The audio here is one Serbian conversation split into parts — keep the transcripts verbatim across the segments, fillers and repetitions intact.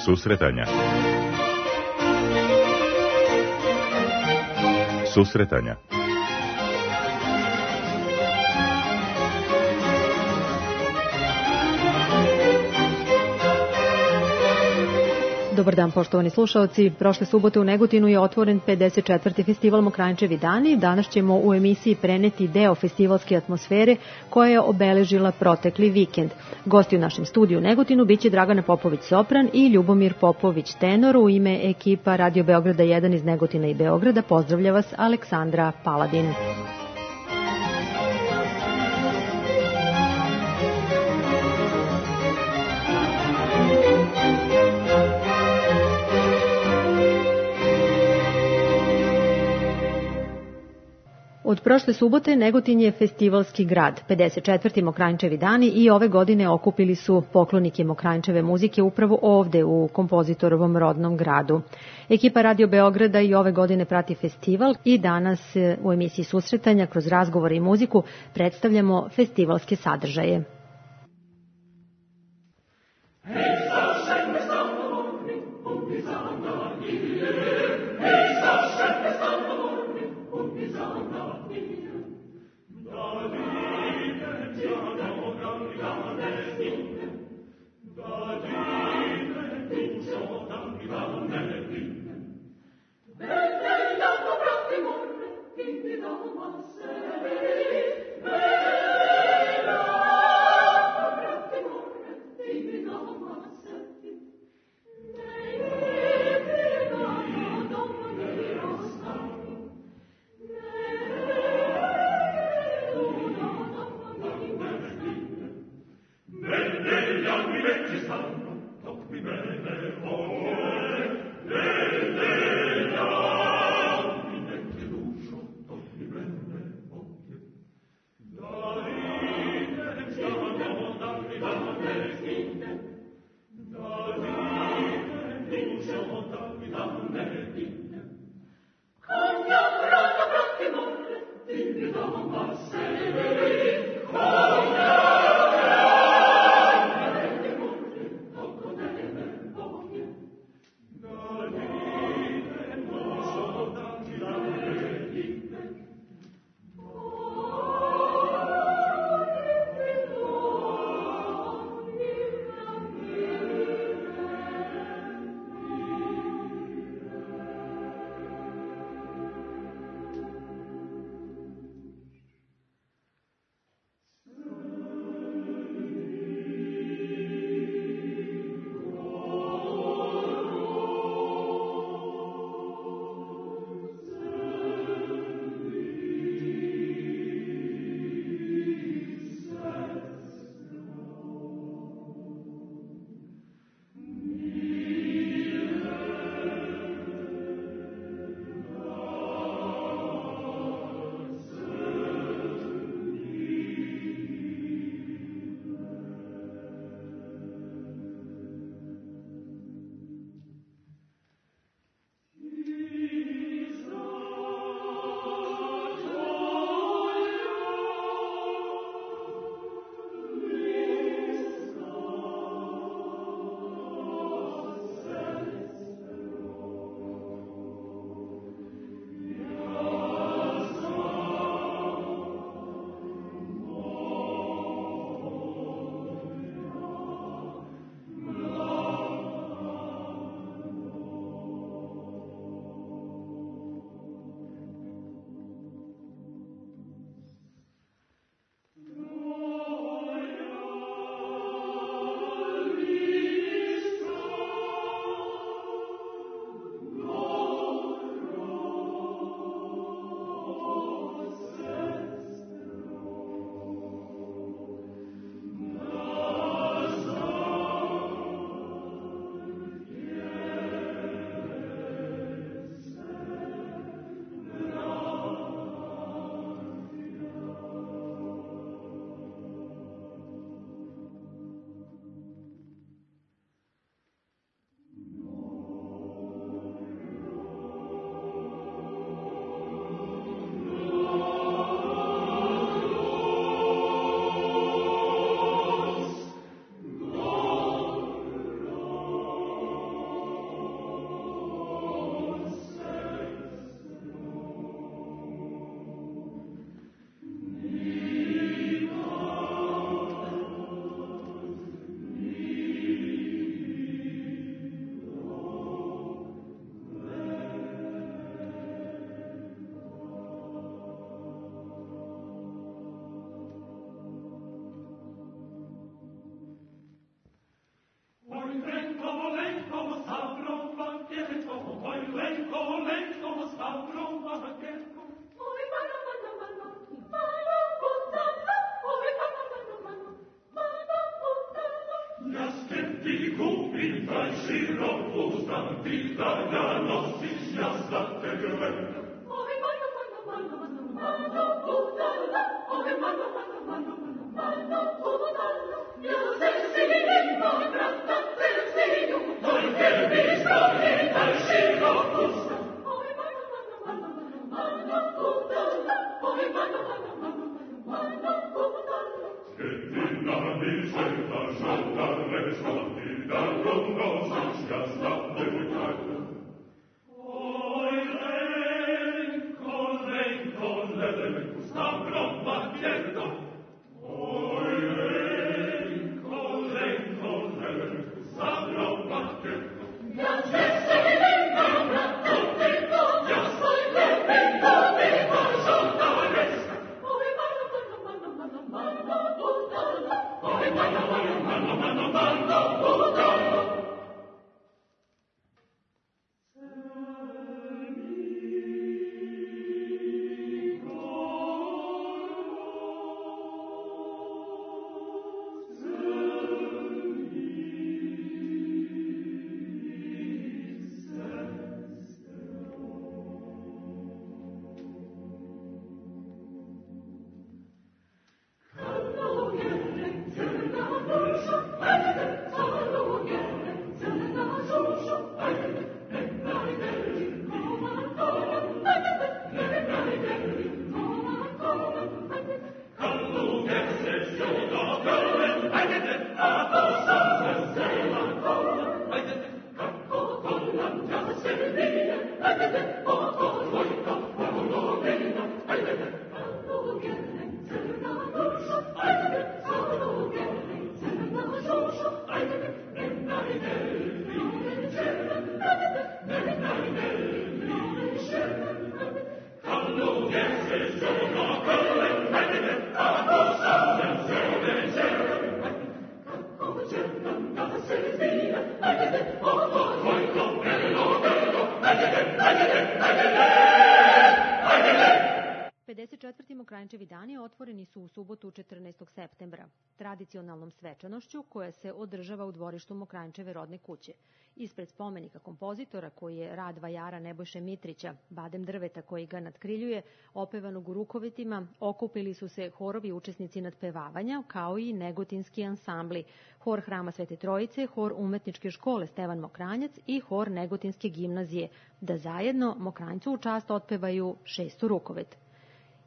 Susretanja. Susretanja. Dobar dan, poštovani slušaoci. Prošle subote u Negotinu je otvoren pedeset četvrti festival Mokranjčevi dani. Danas ćemo u emisiji preneti deo festivalske atmosfere koja je obeležila protekli vikend. Gosti u našem studiju u Negotinu biće Dragana Popović sopran i Ljubomir Popović tenor. U ime ekipa Radio Beograda jedan iz Negotina i Beograda pozdravlja vas Aleksandra Paladin. Od prošle subote Negotin je festivalski grad, pedeset četvrti Mokranjčevi dani i ove godine okupili su poklonike Mokranjčeve muzike upravo ovde u kompozitorovom rodnom gradu. Ekipa Radio Beograda i ove godine prati festival i danas u emisiji Susretanja kroz razgovore i muziku predstavljamo festivalske sadržaje. Vera pedeset četvrti Mokranjčevi dani otvoreni su u subotu četrnaestog septembra, tradicionalnom svečanošću koja se održava u dvorištu Mokranjčeve rodne kuće. Ispred spomenika kompozitora koji je rad vajara Nebojše Mitrića, badem drveta koji ga nadkriljuje, opevanog u rukovetima, okupili su se horovi učesnici nadpevavanja, kao i negotinski ansambli, hor Hrama Svete Trojice, hor Umetničke škole Stevan Mokranjac i hor Negotinske gimnazije, da zajedno Mokranjcu u čast otpevaju šestu rukovet.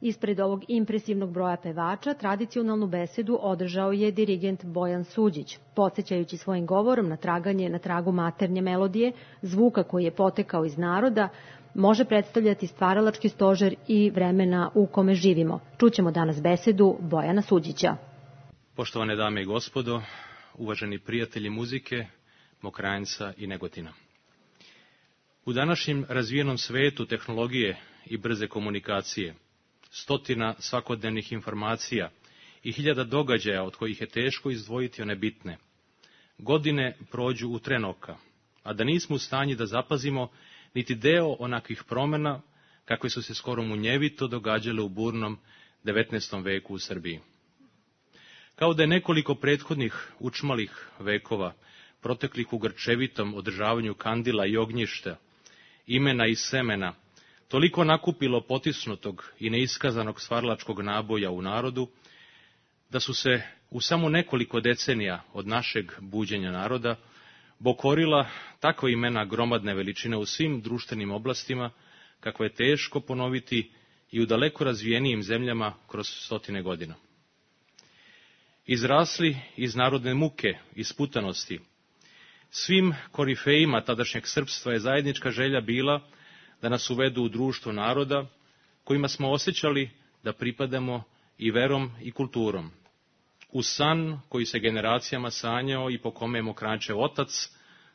Ispred ovog impresivnog broja pevača tradicionalnu besedu održao je dirigent Bojan Suđić, podsjećajući svojim govorom na traganje na tragu maternje melodije, zvuka koji je potekao iz naroda, može predstavljati stvaralački stožer i vremena u kome živimo. Čućemo danas besedu Bojana Suđića. Poštovane dame i gospodo, uvaženi prijatelji muzike, Mokranjca i Negotina. U današnjem razvijenom svetu tehnologije i brze komunikacije, stotina svakodnevnih informacija i hiljada događaja od kojih je teško izdvojiti one bitne, godine prođu u tren oka, a da nismo u stanju da zapazimo niti deo onakvih promjena kakve su se skoro munjevito događale u burnom devetnaestom veku u Srbiji. Kao da je nekoliko prethodnih učmalih vekova, proteklih u grčevitom održavanju kandila i ognjišta, imena i semena, toliko nakupilo potisnutog i neiskazanog stvaralačkog naboja u narodu, da su se u samo nekoliko decenija od našeg buđenja naroda bokorila takva imena gromadne veličine u svim društvenim oblastima, kakve je teško ponoviti i u daleko razvijenijim zemljama kroz stotine godina. Izrasli iz narodne muke i sputanosti, svim korifejima tadašnjeg srpstva je zajednička želja bila da nas uvedu u društvo naroda kojima smo osjećali da pripadamo i verom i kulturom. U san koji se generacijama sanjao i po kome je Mokranjčev otac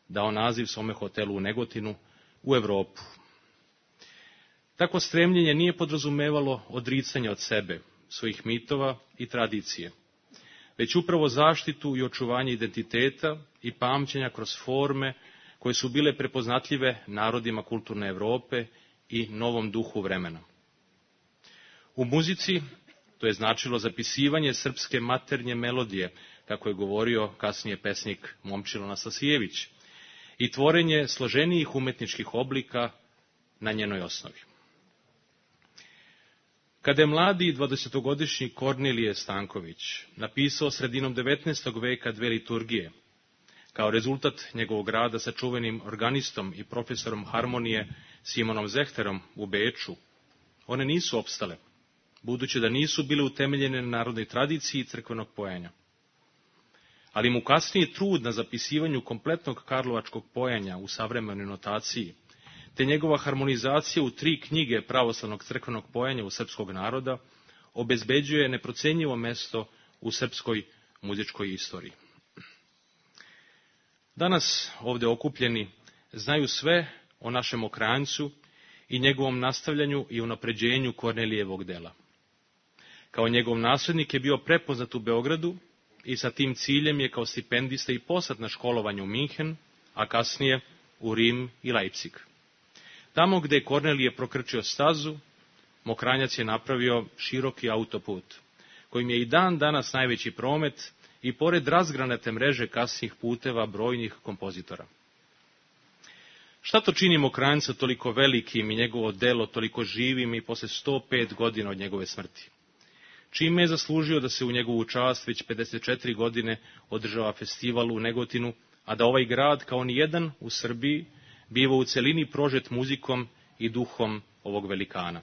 dao naziv svome hotelu u Negotinu u Evropu. Takvo stremljenje nije podrazumevalo odricanje od sebe, svojih mitova i tradicije, već upravo zaštitu i očuvanje identiteta i pamćenja kroz forme koje su bile prepoznatljive narodima kulturne Evrope i novom duhu vremena. U muzici, to To je značilo zapisivanje srpske maternje melodije, kako je govorio kasnije pesnik Momčilo Nasasijević, i tvorenje složenijih umetničkih oblika na njenoj osnovi. Kada je mladi dvadesetogodišnji Kornelije Stanković napisao sredinom devetnaestog veka dve liturgije, kao rezultat njegovog rada sa čuvenim organistom i profesorom harmonije Simonom Zehterom u Beču, one nisu opstale, budući da nisu bile utemeljene na narodnoj tradiciji crkvenog pojenja. Ali mu kasniji trud na zapisivanju kompletnog karlovačkog pojenja u savremenoj notaciji, te njegova harmonizacija u tri knjige pravoslavnog crkvenog pojenja u srpskog naroda, obezbeđuje neprocenjivo mesto u srpskoj muzičkoj istoriji. Danas ovdje okupljeni znaju sve o našem okrancu i njegovom nastavljanju i unapređenju Kornelijevog dela. Kao njegov nasljednik je bio prepoznat u Beogradu i sa tim ciljem je kao stipendista i poslat na školovanje u Minhen, a kasnije u Rim i Leipzig. Tamo gde je Kornelije prokrčio stazu, Mokranjac je napravio široki autoput, kojim je i dan danas najveći promet i pored razgranate mreže kasnih puteva brojnih kompozitora. Šta to čini Mokranjca toliko velikim i njegovo delo toliko živim i posle sto pet godina od njegove smrti? Čime je zaslužio da se u njegovu čast već pedeset četiri godine održava festival u Negotinu, a da ovaj grad, kao ni jedan u Srbiji, biva u celini prožet muzikom i duhom ovog velikana?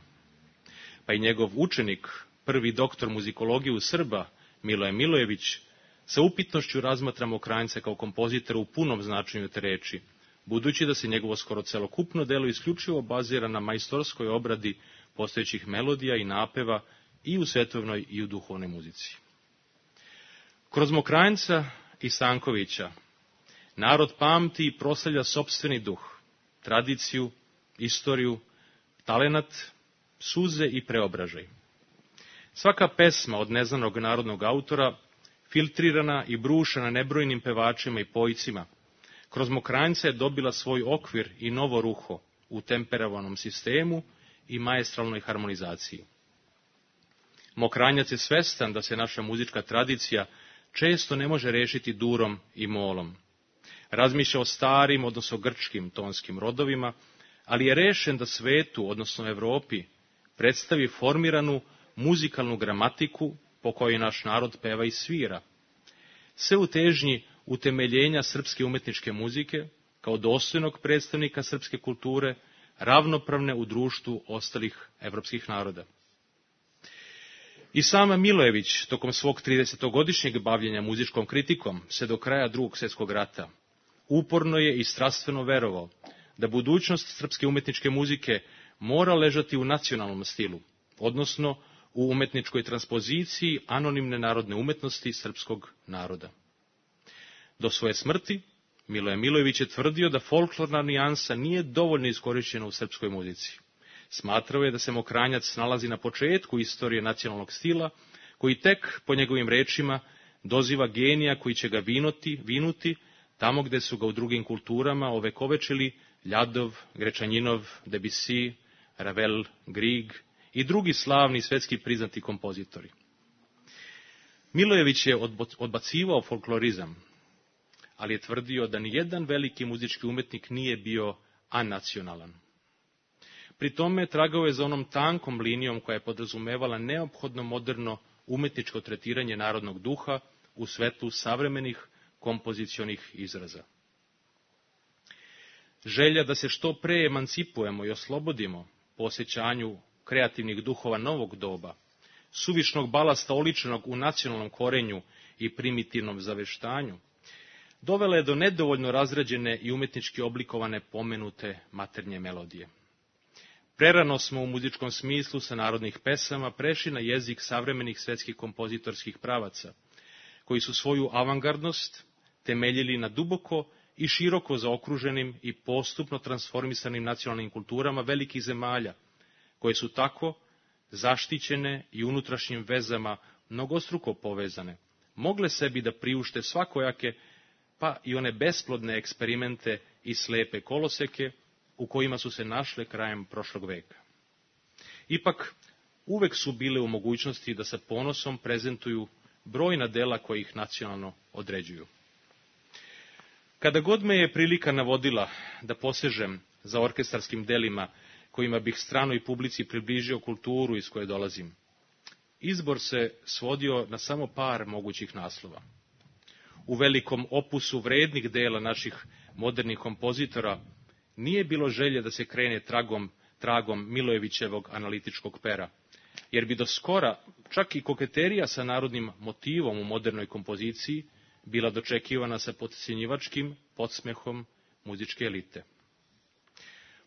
Pa i njegov učenik, prvi doktor muzikologije u Srba, Miloje Milojević, sa upitnošću razmatra Mokranjca kao kompozitora u punom značenju te reči, budući da se njegovo skoro celokupno delo isključivo bazira na majstorskoj obradi postojećih melodija i napeva i u svetovnoj i u duhovnoj muzici. Kroz Mokranjca i Stankovića narod pamti i proslavlja sopstveni duh, tradiciju, istoriju, talenat, suze i preobražaj. Svaka pesma od neznanog narodnog autora, filtrirana i brušena nebrojnim pevačima i pojcima, kroz Mokranjca je dobila svoj okvir i novo ruho u temperovanom sistemu i maestralnoj harmonizaciji. Mokranjac je svestan da se naša muzička tradicija često ne može rešiti durom i molom. Razmišlja o starim, odnosno grčkim tonskim rodovima, ali je rešen da svetu, odnosno Evropi, predstavi formiranu muzikalnu gramatiku po kojoj naš narod peva i svira. Sve u težnji utemeljenja srpske umetničke muzike, kao dostojnog predstavnika srpske kulture, ravnopravne u društvu ostalih evropskih naroda. I sam Milojević, tokom svog tridesetogodišnjeg bavljenja muzičkom kritikom, se do kraja Drugog svjetskog rata, uporno je i strastveno verovao da budućnost srpske umetničke muzike mora ležati u nacionalnom stilu, odnosno u umetničkoj transpoziciji anonimne narodne umetnosti srpskog naroda. Do svoje smrti, Miloje Milojević je tvrdio da folklorna nijansa nije dovoljno iskorišćena u srpskoj muzici. Smatrao je da se Mokranjac nalazi na početku istorije nacionalnog stila, koji tek, po njegovim rečima, doziva genija koji će ga vinuti, vinuti tamo gde su ga u drugim kulturama ovekovečili Ljadov, Grečanjinov, Debussy, Ravel, Grieg i drugi slavni svetski priznati kompozitori. Milojević je odbacivao folklorizam, ali je tvrdio da ni jedan veliki muzički umetnik nije bio anacionalan. Pri tome tragao je za onom tankom linijom koja je podrazumevala neophodno moderno umetničko tretiranje narodnog duha u svetlu savremenih kompozicionih izraza. Želja da se što pre emancipujemo i oslobodimo po osjećanju kreativnih duhova novog doba, suvišnog balasta oličenog u nacionalnom korenju i primitivnom zaveštanju, dovela je do nedovoljno razrađene i umetnički oblikovane pomenute maternje melodije. Prerano smo u muzičkom smislu sa narodnih pesama prešli na jezik savremenih svetskih kompozitorskih pravaca, koji su svoju avangardnost temeljili na duboko i široko zaokruženim i postupno transformisanim nacionalnim kulturama velikih zemalja, koje su tako, zaštićene i unutrašnjim vezama mnogostruko povezane, mogle sebi da priušte svakojake, pa i one besplodne eksperimente i slepe koloseke u kojima su se našle krajem prošlog veka. Ipak, uvek su bile u mogućnosti da sa ponosom prezentuju brojna dela koja ih nacionalno određuju. Kada god me je prilika navodila da posežem za orkestarskim delima kojima bih stranoj publici približio kulturu iz koje dolazim, izbor se svodio na samo par mogućih naslova. U velikom opusu vrednih dela naših modernih kompozitora nije bilo želje da se krene tragom, tragom Milojevićevog analitičkog pera, jer bi do skora čak i koketerija sa narodnim motivom u modernoj kompoziciji bila dočekivana sa potcenjivačkim podsmehom muzičke elite.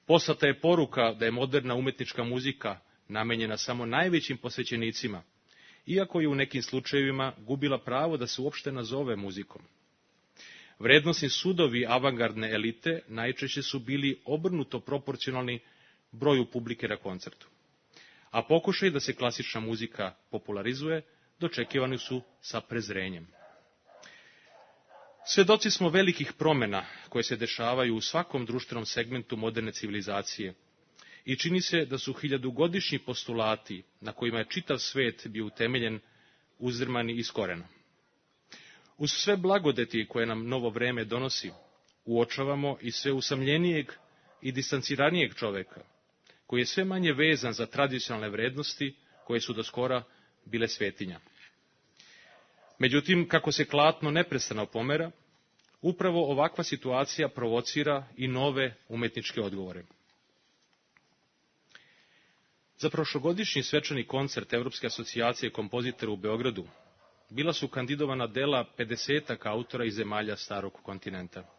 Poslata je poruka da je moderna umetnička muzika namenjena samo najvećim posvećenicima, iako je u nekim slučajevima gubila pravo da se uopšte nazove muzikom. Vrednosni sudovi avangardne elite najčešće su bili obrnuto proporcionalni broju publike na koncertu, a pokušaj da se klasična muzika popularizuje dočekivani su sa prezrenjem. Svedoci smo velikih promena koje se dešavaju u svakom društvenom segmentu moderne civilizacije i čini se da su hiljadugodišnji postulati na kojima je čitav svet bio utemeljen uzdrmani iz korena. Uz sve blagodeti koje nam novo vreme donosi, uočavamo i sve usamljenijeg i distanciranijeg čoveka, koji je sve manje vezan za tradicionalne vrednosti koje su do skora bile svetinja. Međutim, kako se klatno neprestano pomera, upravo ovakva situacija provocira i nove umetničke odgovore. Za prošlogodišnji svečani koncert Evropske asocijacije kompozitora u Beogradu bila su kandidovana dela pedesetak autora iz zemalja starog kontinenta.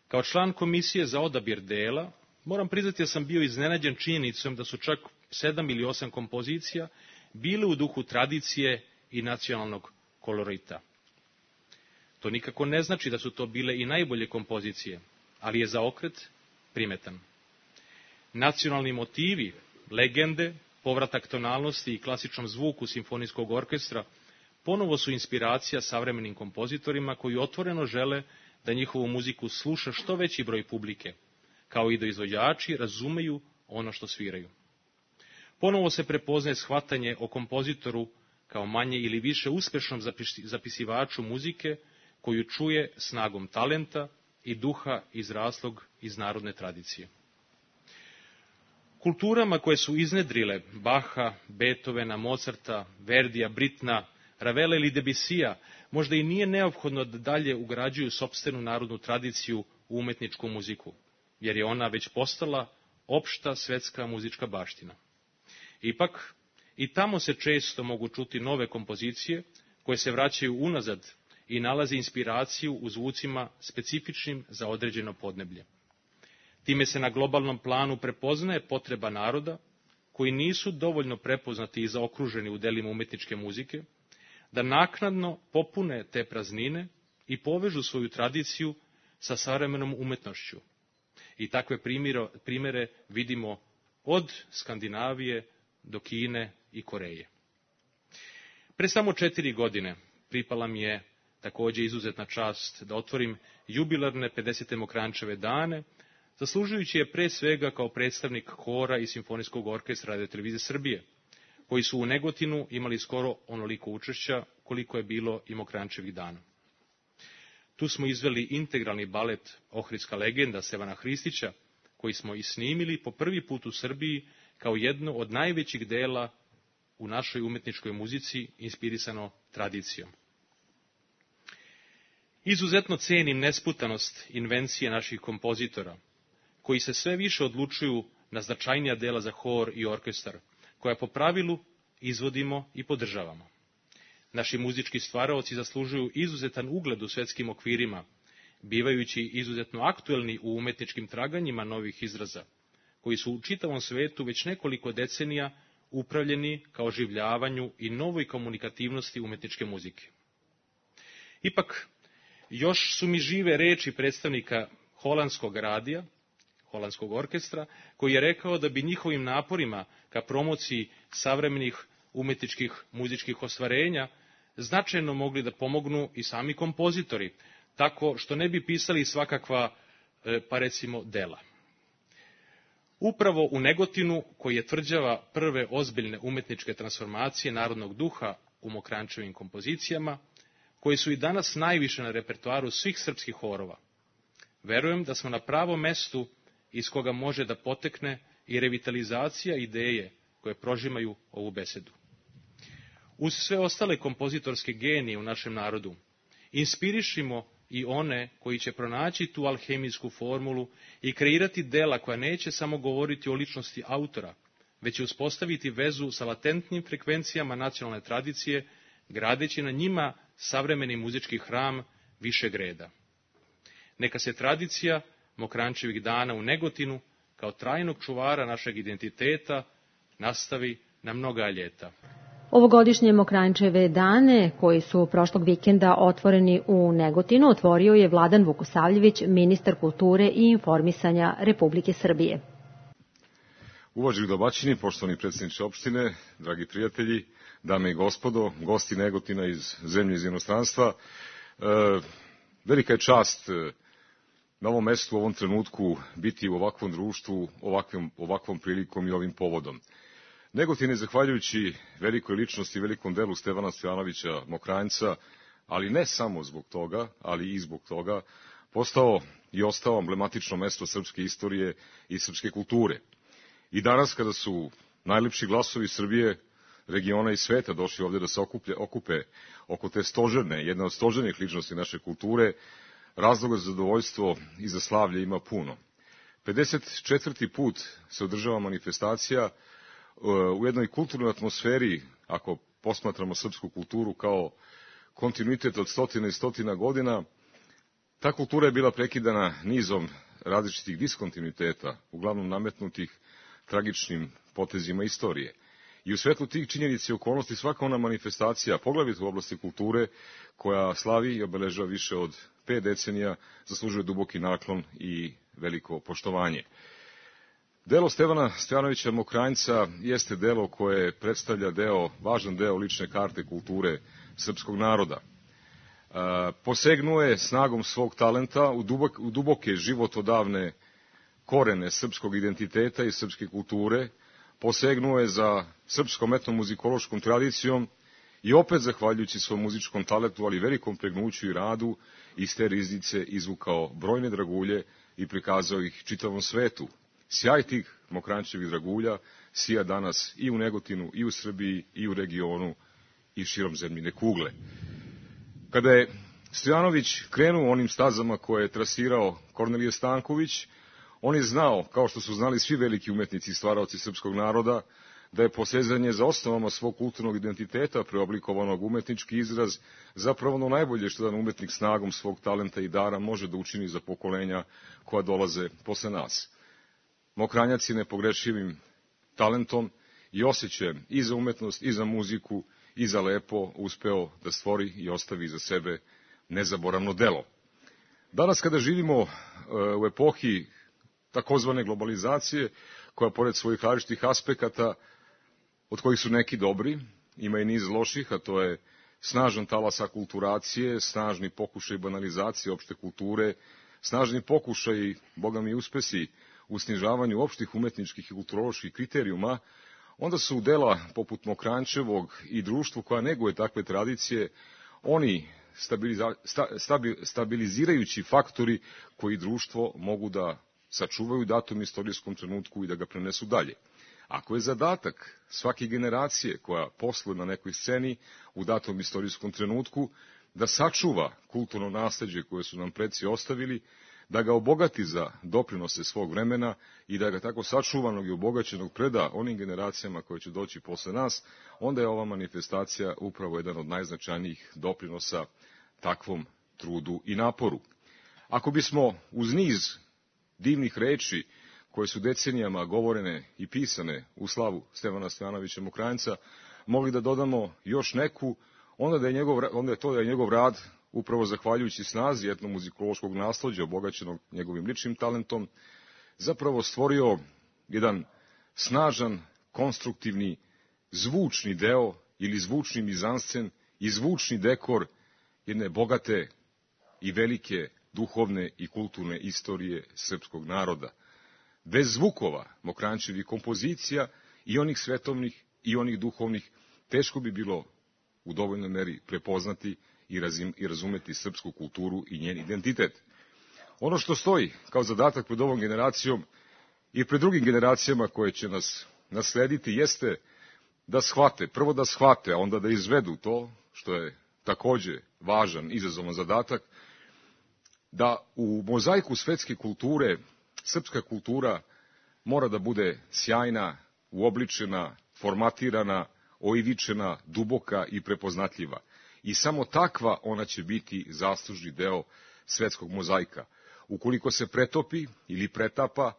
Kao član komisije za odabir dela, moram priznati da sam bio iznenađen činjenicom da su čak sedam ili osam kompozicija bile u duhu tradicije i nacionalnog kolorita. To nikako ne znači da su to bile i najbolje kompozicije, ali je zaokret primetan. Nacionalni motivi, legende, povratak tonalnosti i klasičnom zvuku simfonijskog orkestra ponovo su inspiracija savremenim kompozitorima koji otvoreno žele da njihovu muziku sluša što veći broj publike, kao i da izvođači razumeju ono što sviraju. Ponovo se prepoznaje shvatanje o kompozitoru kao manje ili više uspešnom zapisivaču muzike koju čuje snagom talenta i duha izraslog iz narodne tradicije. Kulturama koje su iznedrile Baha, Beethovena, Mozarta, Verdija, Britna, Ravela ili Debussyja možda i nije neophodno da dalje ugrađuju sopstvenu narodnu tradiciju u umetničku muziku, jer je ona već postala opšta svetska muzička baština. Ipak, i tamo se često mogu čuti nove kompozicije koje se vraćaju unazad i nalaze inspiraciju u zvucima specifičnim za određeno podneblje. Time se na globalnom planu prepoznaje potreba naroda, koji nisu dovoljno prepoznati i zaokruženi u delima umetničke muzike, da naknadno popune te praznine i povežu svoju tradiciju sa savremenom umetnošću. I takve primjere, primjere vidimo od Skandinavije do Kine i Koreje. Pre samo četiri godine pripala mi je takođe izuzetna čast da otvorim jubilarne pedesete Mokranjčeve dane, zaslužujući je pre svega kao predstavnik hora i simfonijskog orkestra Radio-televizije Srbije, koji su u Negotinu imali skoro onoliko učešća koliko je bilo i Mokranjčevih dana. Tu smo izveli integralni balet Ohridska legenda Stevana Hristića, koji smo i snimili po prvi put u Srbiji kao jedno od najvećih dela u našoj umetničkoj muzici inspirisano tradicijom. Izuzetno cenim nesputanost invencije naših kompozitora, koji se sve više odlučuju na značajnija dela za hor i orkestar, koja po pravilu izvodimo i podržavamo. Naši muzički stvaraoci zaslužuju izuzetan ugled u svetskim okvirima, bivajući izuzetno aktuelni u umetničkim traganjima novih izraza, koji su u čitavom svetu već nekoliko decenija upravljeni kao oživljavanju i novoj komunikativnosti umetničke muzike. Ipak, još su mi žive reči predstavnika holandskog radija, holandskog orkestra, koji je rekao da bi njihovim naporima ka promociji savremenih umetničkih muzičkih ostvarenja značajno mogli da pomognu i sami kompozitori, tako što ne bi pisali svakakva, pa recimo, dela. Upravo u Negotinu, koji je tvrđava prve ozbiljne umetničke transformacije narodnog duha u Mokranjčevim kompozicijama, koji su i danas najviše na repertoaru svih srpskih horova. Verujem da smo na pravom mestu iz koga može da potekne i revitalizacija ideje koje prožimaju ovu besedu. Uz sve ostale kompozitorske genije u našem narodu, inspirišimo i one koji će pronaći tu alhemijsku formulu i kreirati dela koja neće samo govoriti o ličnosti autora, već će uspostaviti vezu sa latentnim frekvencijama nacionalne tradicije, gradeći na njima savremeni muzički hram višeg reda. Neka se tradicija Mokranjčevih dana u Negotinu, kao trajnog čuvara našeg identiteta, nastavi na mnoga ljeta. Ovogodišnje Mokranjčeve dane, koji su prošlog vikenda otvoreni u Negotinu, otvorio je Vladan Vukosavljević, ministar kulture i informisanja Republike Srbije. Uvaženi domaćini, poštovani predsjedniče opštine, dragi prijatelji, dame i gospodo, gosti Negotina iz zemlje iz inostranstva, e, velika je čast na ovom mestu, u ovom trenutku, biti u ovakvom društvu, ovakvom, ovakvom prilikom i ovim povodom. Negotin je, zahvaljujući velikoj ličnosti i velikom delu Stevana Stojanovića Mokranjca, ali ne samo zbog toga, ali i zbog toga, postao i ostao emblematično mesto srpske istorije i srpske kulture. I danas, kada su najlepši glasovi Srbije, regiona i sveta došli ovdje da se okuplje, okupe oko te stožerne, jedne od stožernih ličnosti naše kulture, razloga za zadovoljstvo i za slavlje ima puno. pedeset četvrti put se održava manifestacija u jednoj kulturnoj atmosferi, ako posmatramo srpsku kulturu kao kontinuitet od stotina i stotina godina. Ta kultura je bila prekidana nizom različitih diskontinuiteta, uglavnom nametnutih tragičnim potezima istorije. I u svetlu tih činjenica i okolnosti svaka ona manifestacija, poglavito u oblasti kulture, koja slavi i obeležava više od pet decenija, zaslužuje duboki naklon i veliko poštovanje. Delo Stevana Stojanovića Mokranjca jeste delo koje predstavlja deo, važan deo lične karte kulture srpskog naroda. E, posegnuo je snagom svog talenta u, dubok, u duboke životodavne korene srpskog identiteta i srpske kulture, posegnuo je za srpskom etnomuzikološkom tradicijom i opet, zahvaljujući svom muzičkom talentu, ali velikom pregnuću i radu, iz te riznice izvukao brojne dragulje i prikazao ih čitavom svetu. Sjaj tih Mokranjčevih dragulja sija danas i u Negotinu, i u Srbiji, i u regionu, i širom zemljine kugle. Kada je Stojanović krenuo onim stazama koje je trasirao Kornelije Stanković, on je znao, kao što su znali svi veliki umetnici i stvaraoci srpskog naroda, da je posezanje za osnovama svog kulturnog identiteta, preoblikovanog umetnički izraz, zapravo ono najbolje što jedan umetnik snagom svog talenta i dara može da učini za pokolenja koja dolaze posle nas. Mokranjac je nepogrešivim talentom i osjećajem i za umetnost, i za muziku, i za lepo uspeo da stvori i ostavi za sebe nezaboravno delo. Danas, kada živimo u epohi takozvane globalizacije, koja pored svojih različitih aspekata, od kojih su neki dobri, ima i niz loših, a to je snažan talas akulturacije, snažni pokušaj banalizacije opšte kulture, snažni pokušaj, boga mi uspesi, u snižavanju opštih umetničkih i kulturoloških kriterijuma, onda su dela poput Mokranjčevog i društvu koja neguje takve tradicije, oni stabiliza, sta, stabi, stabilizirajući faktori koji društvo mogu da sačuvaju u datom istorijskom trenutku i da ga prenesu dalje. Ako je zadatak svake generacije koja posluje na nekoj sceni u datom istorijskom trenutku da sačuva kulturno nasleđe koje su nam preci ostavili, da ga obogati za doprinose svog vremena i da ga tako sačuvanog i obogaćenog preda onim generacijama koje će doći posle nas, onda je ova manifestacija upravo jedan od najznačajnijih doprinosa takvom trudu i naporu. Ako bismo uz niz divnih reči koje su decenijama govorene i pisane u slavu Stevana Stojanovića Mokranjca, mogli da dodamo još neku, onda, da je njegov, onda je to da je njegov rad, upravo zahvaljujući snazi etnomuzikološkog nasleđa, obogaćenog njegovim ličnim talentom, zapravo stvorio jedan snažan, konstruktivni, zvučni deo ili zvučni mizanscen i zvučni dekor jedne bogate i velike duhovne i kulturne istorije srpskog naroda. bez zvukova Mokranjčevih kompozicija i onih svetovnih i onih duhovnih, teško bi bilo u dovoljnoj meri prepoznati i, razim, i razumeti srpsku kulturu i njen identitet. Ono što stoji kao zadatak pred ovom generacijom i pred drugim generacijama koje će nas naslediti jeste da shvate, prvo da shvate, a onda da izvedu to, što je takođe važan, izazovan zadatak, da u mozaiku svetske kulture srpska kultura mora da bude sjajna, uobličena, formatirana, oivičena, duboka i prepoznatljiva. I samo takva ona će biti zaslužni deo svetskog mozaika. Ukoliko se pretopi ili pretapa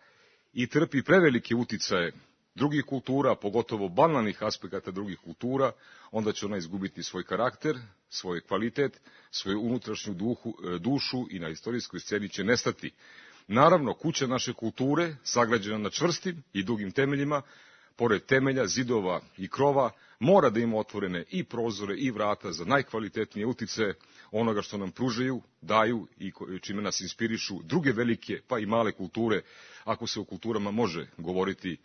i trpi prevelike uticaje drugih kultura, pogotovo banalnih aspekata drugih kultura, onda će ona izgubiti svoj karakter, svoj kvalitet, svoju unutrašnju duhu, dušu i na istorijskoj sceni će nestati. Naravno, kuća naše kulture, sagrađena na čvrstim i dugim temeljima, pored temelja, zidova i krova, mora da ima otvorene i prozore i vrata za najkvalitetnije utice onoga što nam pružaju, daju i čime nas inspirišu druge velike pa i male kulture, ako se o kulturama može govoriti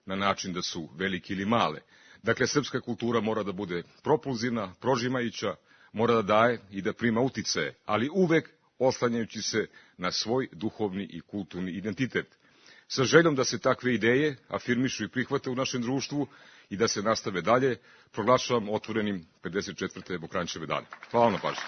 na način da su velike ili male. Dakle, srpska kultura mora da bude propulzivna, prožimajuća, mora da daje i da prima uticaje, ali uvek oslanjajući se na svoj duhovni i kulturni identitet. Sa željom da se takve ideje afirmišu i prihvate u našem društvu i da se nastave dalje, proglašavam otvorenim pedeset četvrte Mokranjčeve dane. Hvala na pažnji.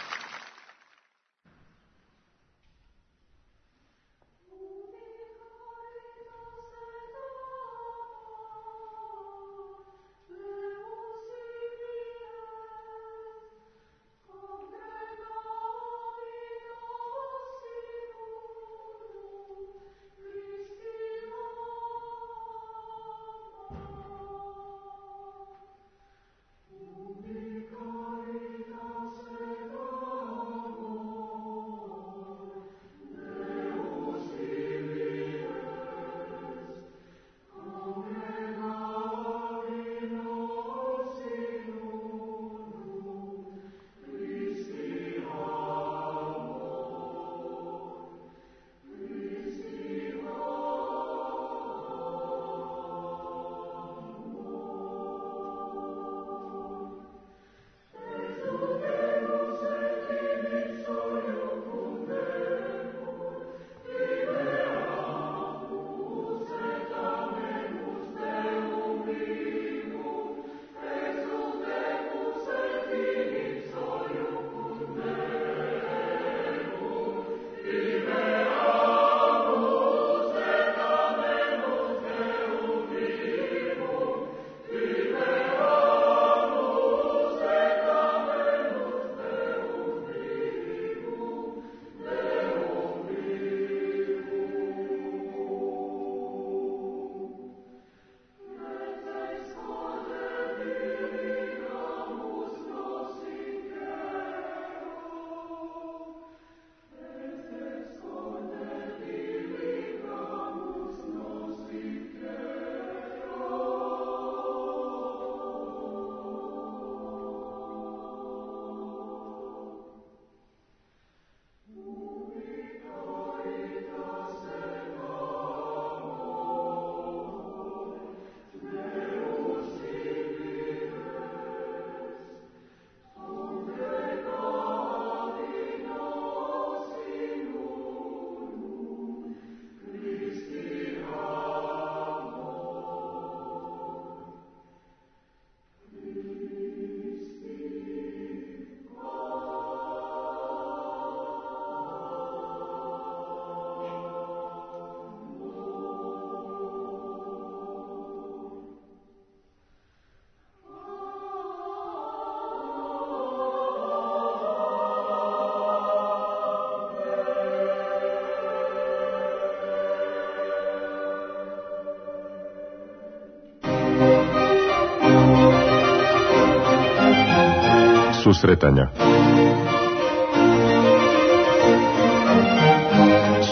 Susretanja.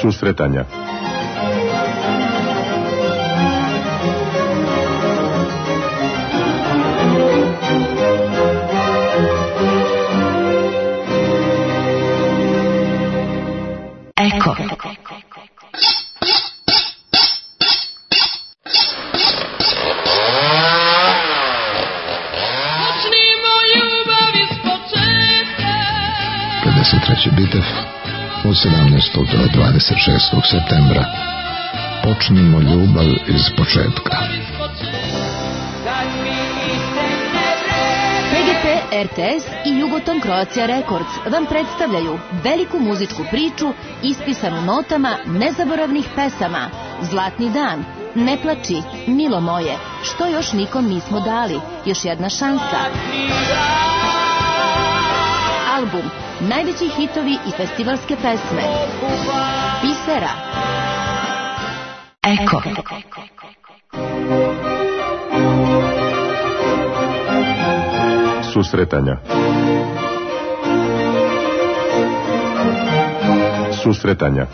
Susretanja. Eko. Sledeći bitev od sedamnaestog do dvadeset šestog septembra. Počnimo ljubav iz početka. P G P, R T S i Jugoton Croatia Records vam predstavljaju veliku muzičku priču ispisanu notama nezaboravnih pesama. Zlatni dan, Ne plači, Milo moje, Što još nikom nismo dali, Još jedna šansa. Album, najveći hitovi i festivalske pesme. Pisera. Eko. Susretanja. Susretanja.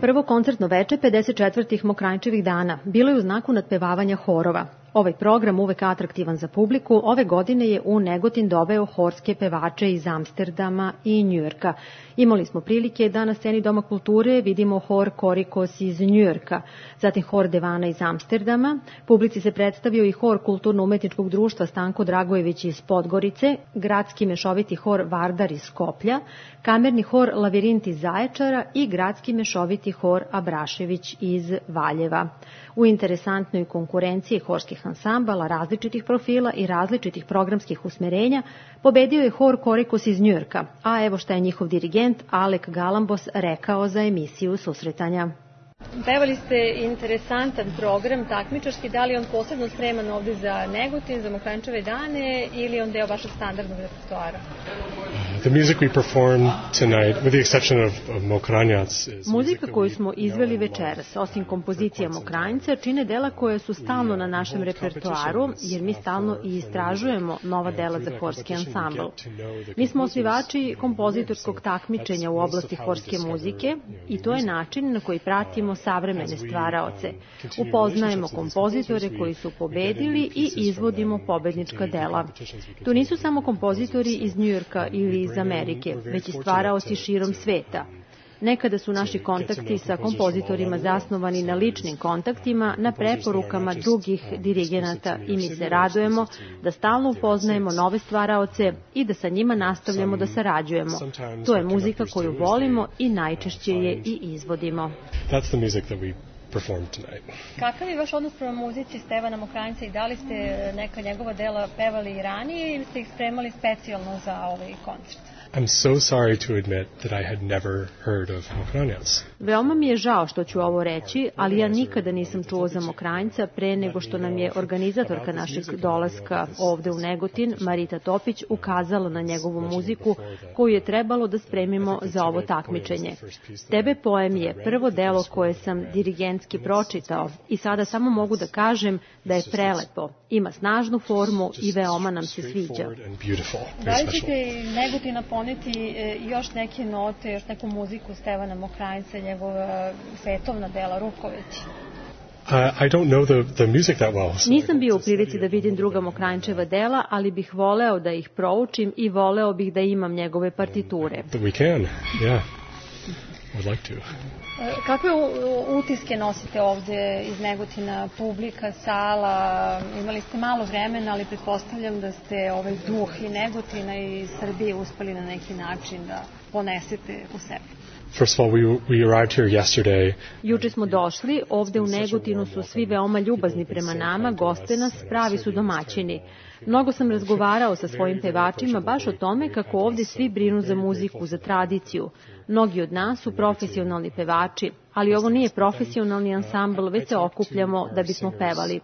Prvo koncertno veče pedeset četvrtih Mokranjčevih dana bilo je u znaku nadpevavanja horova. Ovaj program, uvek atraktivan za publiku, ove godine je u Negotin doveo horske pevače iz Amsterdama i Njujorka. Imali smo prilike da na sceni Doma kulture vidimo hor Korikos iz Njujorka, zatim hor Devana iz Amsterdama, publici se predstavio i hor Kulturno-umetničkog društva Stanko Dragojević iz Podgorice, gradski mešoviti hor Vardar iz Skoplja, kamerni hor Lavirint iz Zaječara i gradski mešoviti hor Abrašević iz Valjeva. U interesantnoj konkurenciji horskih ansambala različitih profila i različitih programskih usmerenja pobedio je hor Korikos iz Njujorka, a evo šta je njihov dirigent Alek Galambos rekao za emisiju Susretanja. Pevali ste interesantan program takmičarski, da li on posebno spreman ovde za Negotin, za Mokranjčeve dane ili on deo vašeg standardnog repertoara? The music we performed tonight, with the exception of, of Mokranjac, is Muzika koju smo izveli večeras, osim kompozicija Mokranjca, čine dela koje su stalno na našem repertoaru, jer mi stalno i istražujemo nova dela za horski ansambl. Mi smo osnivači kompozitorskog takmičenja u oblasti horske muzike i to je način na koji pratimo savremene stvaraoce. Upoznajemo kompozitore koji su pobedili i izvodimo pobednička dela. To nisu samo kompozitori iz Njujorka ili iz Amerike, već i stvaraoci širom sveta. Nekada su naši kontakti sa kompozitorima zasnovani na ličnim kontaktima, na preporukama drugih dirigenata i mi se radujemo da stalno upoznajemo nove stvaraoce i da sa njima nastavljamo da sarađujemo. To je muzika koju volimo i najčešće je i izvodimo. That's the music that we performed tonight. Kakav je vaš odnos prema muzici Stevana Mokranjca i da li ste neka njegova dela pevali i ranije ili ste ih spremali specijalno za ovaj koncert? I'm so sorry to admit that I had never heard of Mokranjac. Veoma mi je žao što ću ovo reći, ali ja nikada nisam čuo za Mokranjca pre nego što nam je organizatorka našeg dolaska ovde u Negotin, Marita Topić, ukazala na njegovu muziku koju je trebalo da spremimo za ovo takmičenje. Tebe poem je prvo delo koje sam dirigentski pročitao i sada samo mogu da kažem da je prelepo, ima snažnu formu i veoma nam se sviđa. Da li ćete Negotina poneti još neke note, još neku muziku Stevana Mokranjca, njegova svetovna dela Ruković? Uh, I don't know the, the music that well. So Nisam bio u prilici da vidim druga Mokranjčeva dela, ali bih voleo da ih proučim i voleo bih da imam njegove partiture. That we can, yeah. Would like to. Kakve utiske nosite ovde iz Negotina, publika, sala? Imali ste malo vremena, ali pretpostavljam da ste ovaj duh i Negotina i Srbije uspeli na neki način da ponesete u sebi. First of all, we, we arrived here yesterday. Juče smo došli, ovde u Negotinu su svi veoma ljubazni prema nama, goste nas, pravi su domaćini. Mnogo sam razgovarao sa svojim pevačima baš o tome kako ovde svi brinu za muziku, za tradiciju. Mnogi od nas su profesionalni pevači, ali ovo nije profesionalni ansambl, već se okupljamo da bismo pevali.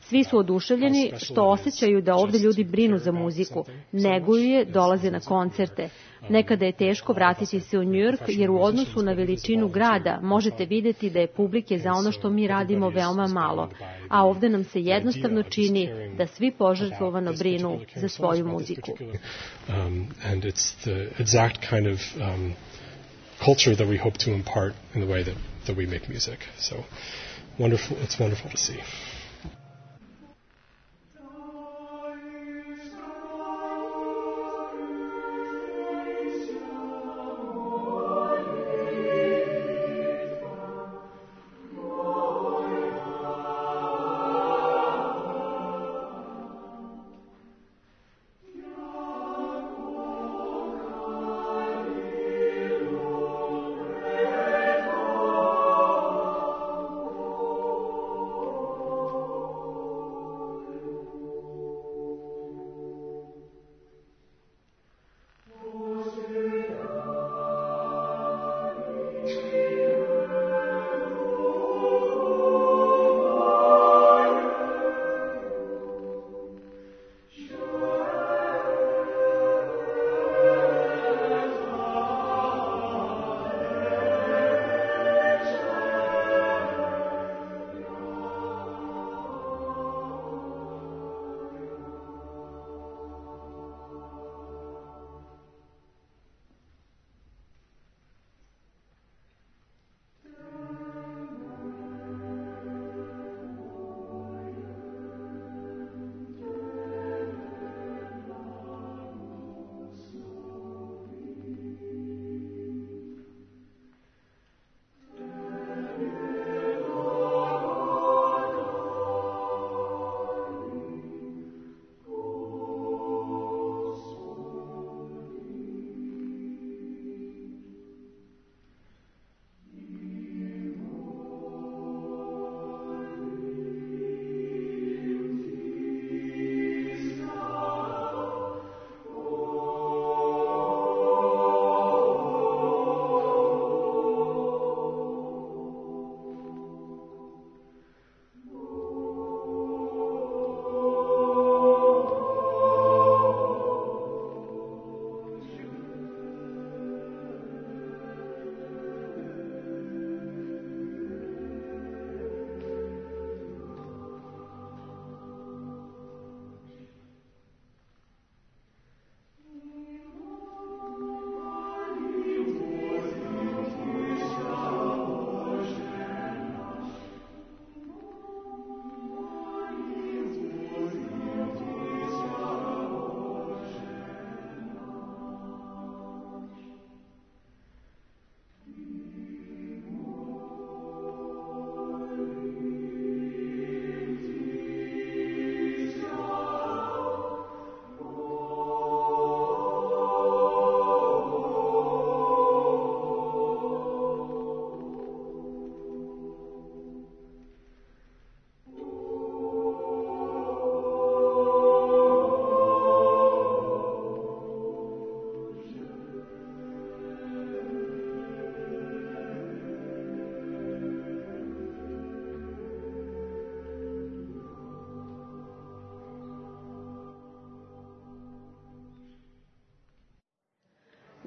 Svi su oduševljeni što osjećaju da ovde ljudi brinu za muziku, neguju je, dolaze na koncerte. Nekada je teško vratiti se u Njujork jer u odnosu na veličinu grada možete videti da je publike za ono što mi radimo veoma malo, a ovde nam se jednostavno čini da svi požrtvovano brinu za svoju muziku. Um, and it's the exact kind of um, culture that we hope to impart in the way that, that we make music. So wonderful, it's wonderful to see.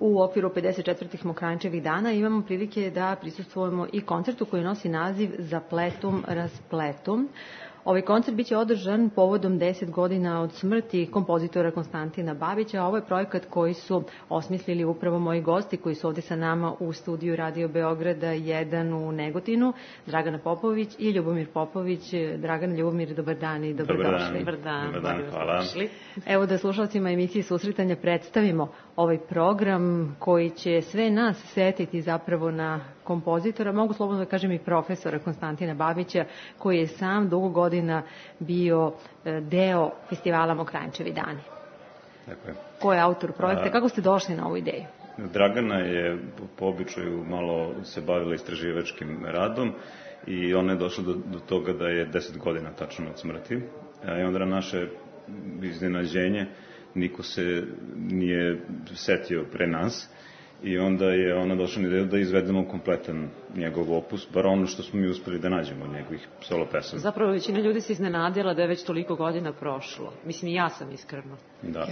U okviru pedeset četvrtih Mokranjčevih dana imamo prilike da prisustvujemo i koncertu koji nosi naziv Zapletum raspletum. Ovaj koncert biće održan povodom deset godina od smrti kompozitora Konstantina Babića. Ovo je projekat koji su osmislili upravo moji gosti koji su ovde sa nama u studiju Radio Beograda jedan u Negotinu, Dragana Popović i Ljubomir Popović. Dragan, Ljubomir, dobar dan i dobrodošli. Dobar dan, dobar dan, hvala. Evo da slušalcima emisije Susretanja predstavimo ovaj program koji će sve nas setiti zapravo na kompozitora, mogu slobodno da kažem i profesora Konstantina Babića, koji je sam dugo godina bio deo festivala Mokranjčevi dani. Tako je. Ko je autor projekta? A, kako ste došli na ovu ideju? Dragana je po običaju malo se bavila istraživačkim radom i ona je došla do, do toga da je deset godina tačno od smrti. I onda na naše iznenađenje niko se nije setio pre nas. I onda je ona došla na ideju da izvedemo kompletan njegov opus, bar ono što smo mi uspeli da nađemo od njegovih solo pesama. Zapravo većina ljudi se iznenadila da je već toliko godina prošlo. Mislim, i ja sam iskreno. Da.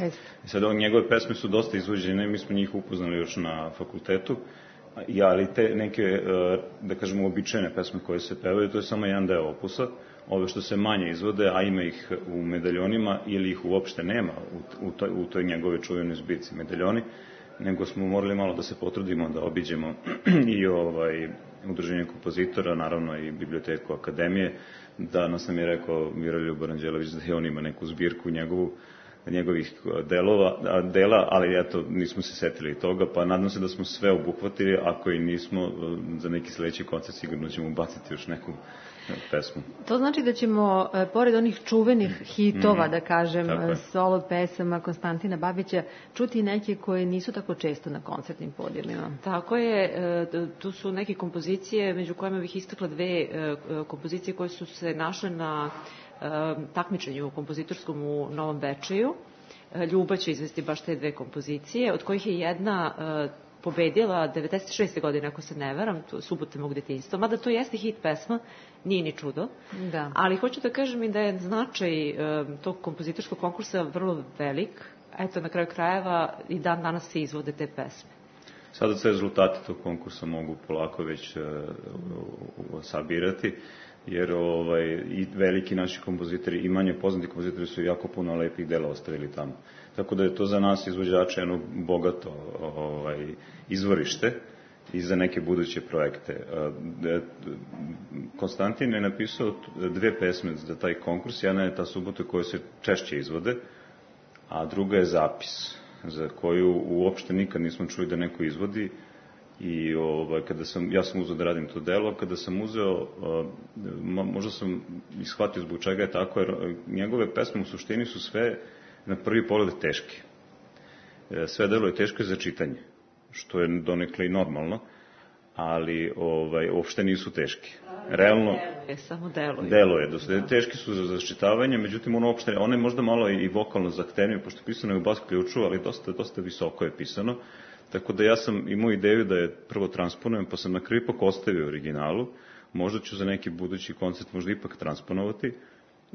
I sad njegove pesme su dosta izvođene, mi smo njih upoznali još na fakultetu, ja, ali te neke, da kažemo, običajne pesme koje se pevaju, to je samo jedan deo opusa. Ove što se manje izvode, a ima ih u medaljonima ili ih uopšte nema u, u, toj, u toj njegove čuvenoj zbirci medaljoni, nego smo morali malo da se potrudimo da obiđemo i ovaj udruženje kompozitora, naravno i biblioteku Akademije. Danas nam je rekao Miroljub Aranđelović da je on ima neku zbirku njegovu, njegovih delova, dela, ali eto, nismo se setili toga, pa nadam se da smo sve obuhvatili, ako i nismo, za neki sledeći koncert sigurno ćemo ubaciti još neku pesmu. To znači da ćemo, pored onih čuvenih hitova, mm, da kažem, solo pesama Konstantina Babića, čuti neke koje nisu tako često na koncertnim podijumima. Tako je, tu su neke kompozicije, među kojima bih istakla dve kompozicije koje su se našle na takmičenju kompozitorskom u Novom Bečeju. Ljuba će izvesti baš te dve kompozicije, od kojih je jedna pobedila devedeset šeste godine, ako se ne varam, Subote mog detinjstva, mada to jeste hit pesma, nije ni čudo. Da. Ali hoću da kažem i da je značaj tog kompozitorskog konkursa vrlo velik. Eto, na kraju krajeva i dan danas se izvode te pesme. Sada se rezultati tog konkursa mogu polako već uh, sabirati, jer ovaj, i veliki naši kompozitori i manje poznati kompozitori su jako puno lepih dela ostavili tamo. Tako da je to za nas izvođače jedno bogato ovaj, izvorište i za neke buduće projekte. Konstantin je napisao dve pesme za taj konkurs. Jedna je Ta subota koja se češće izvode, a druga je Zapis, za koju uopšte nikad nismo čuli da neko izvodi. I ovaj, kada sam, ja sam uzeo da radim to delo, kada sam uzeo, možda sam ishvatio zbog čega je tako, jer njegove pesme u suštini su sve na prvi pogled teške. Sve delo je teško za čitanje, što je donekle i normalno, ali ovaj, uopšte nisu teške. Realno, je, samo delo je. Delo je, dosta, teški su za začitavanje, međutim ono uopšte, ono je možda malo i vokalno zahtevnije, pošto je pisano je u bas ključu, ali dosta, dosta visoko je pisano. Tako da ja sam imao ideju da je prvo transponujem, pa sam na kraju ipak ostavio originalu. Možda ću za neki budući koncert možda ipak transponovati,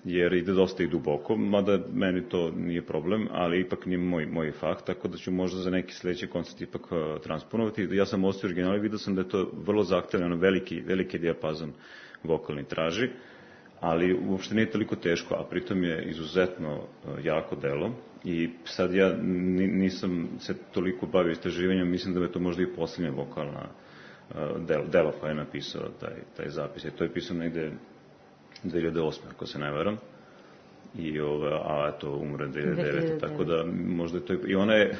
jer ide dosta i duboko, mada meni to nije problem, ali ipak nije moj, moj fah, tako da ću možda za neki sledeći koncert ipak uh, transponovati. Ja sam ostavio original i vidio sam da je to vrlo zahtevno, veliki, veliki dijapazon vokalni traži, ali uopšte nije toliko teško, a pritom je izuzetno uh, jako delo. I sad ja nisam se toliko bavio istraživanjem, mislim da je to možda i posljednja vokalna uh, delo, delo koja je napisao taj, taj zapis. I to je pisao negde dve hiljade osme, ako se ne varam. I ove, a eto, umre dve hiljade devete. Tako da možda je to... I ona je,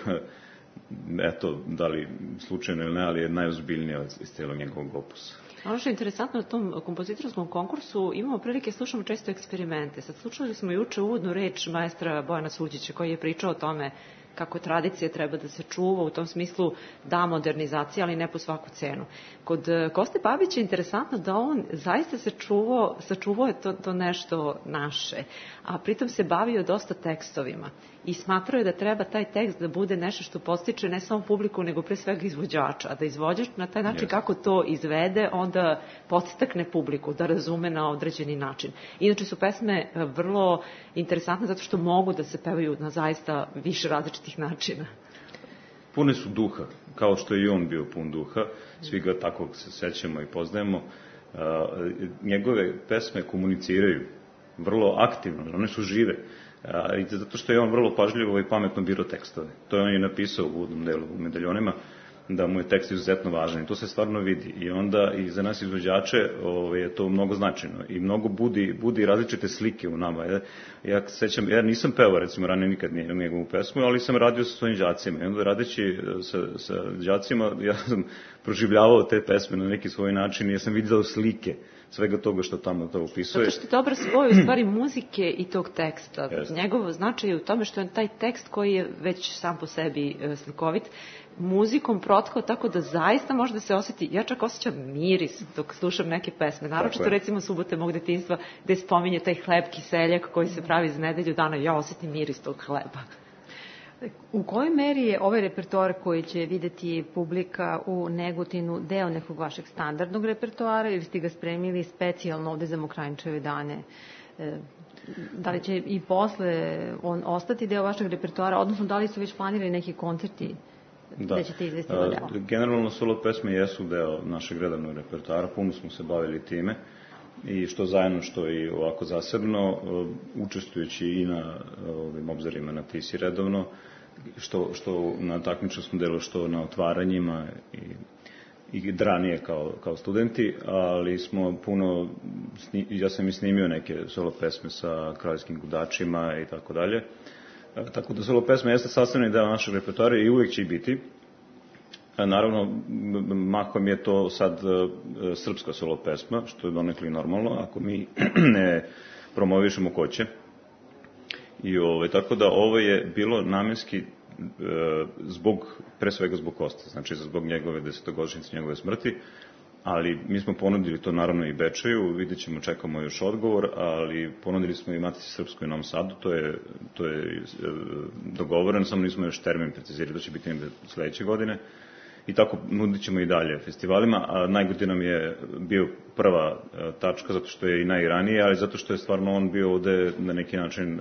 eto, da li slučajno ili ne, ali je najozbiljnija iz cijelog njegovog opusa. Ono što je interesantno na tom kompozitorskom konkursu, imamo prilike, slušamo često eksperimente. Sad slušali smo juče uvodnu reč maestra Bojana Suđića koji je pričao o tome kako tradicija treba da se čuva, u tom smislu da modernizacija, ali ne po svaku cenu. Kod Koste Babića je interesantno da on zaista se čuvao, sačuvao je to, to nešto naše, a pritom se bavio dosta tekstovima i smatrao je da treba taj tekst da bude nešto što podstiče ne samo publiku, nego pre svega izvođača, a da izvođač na taj način yes. kako to izvede, onda podstakne publiku da razume na određeni način. Inače su pesme vrlo interesantne zato što mogu da se pevaju na zaista više različitih načina. pune su duha, kao što je i on bio pun duha, svi ga tako se sećamo i poznajemo. Njegove pesme komuniciraju vrlo aktivno, one su žive, i zato što je on vrlo pažljivo i pametno birao tekstove. To je on je napisao u uvodnom delu u Medaljonima, da mu je tekst izuzetno važan i to se stvarno vidi. I onda i za nas izvođače ovaj, je to mnogo značajno i mnogo budi, budi različite slike u nama. Ja, ja sećam, ja nisam pevao recimo ranije nikad njegovu pesmu, ali sam radio sa svojim đacima i onda radeći sa, sa đacima ja sam proživljavao te pesme na neki svoj način i ja sam vidio slike svega toga što tamo to opisuje. Zato što je dobro svoj u stvari muzike i tog teksta. Yes. Njegovo značaj je u tome što je taj tekst koji je već sam po sebi slikovit, muzikom protkao tako da zaista može da se osjeti, ja čak osjećam miris dok slušam neke pesme, naročito recimo Subote mog detinjstva gde spominje taj hleb kiseljak koji se pravi za nedelju dana, ja osjetim miris tog hleba. U kojoj meri je ovaj repertoar koji će videti publika u Negotinu deo nekog vašeg standardnog repertoara ili ste ga spremili specijalno ovde za Mokranjčeve dane? Da li će i posle on ostati deo vašeg repertoara, odnosno da li su već planirali neki koncerti da ćete izvesti na deo? Generalno solo pesme jesu deo našeg redovnog repertoara, puno smo se bavili time i što zajedno, što i ovako zasebno, učestvujući i na ovim obzorima na Tisi redovno, što, što na takmičarskom delu, što na otvaranjima i, i ranije kao, kao studenti, ali smo puno, ja sam i snimio neke solo pesme sa kraljevskim gudačima i tako dalje. Tako da solo pesme jeste sastavni deo našeg repertoara i uvijek će i biti. Naravno, mahom je to sad srpska solo pesma, što je donekli normalno, ako mi ne promovišemo ko će. I ovaj, tako da ovo je bilo namenski e, zbog, pre svega zbog Koste, znači zbog njegove desetogodišnjice, njegove smrti, ali mi smo ponudili to naravno i Bečeju, vidjet ćemo, čekamo još odgovor, ali ponudili smo i Matici Srpskoj u Novom Sadu, to je, to je e, dogovoreno, samo nismo još termin precizirali, to će biti sledeće godine. I tako nudit ćemo i dalje festivalima, a Najgodin nam je bio prva tačka, zato što je i najranije, ali zato što je stvarno on bio ovde na neki način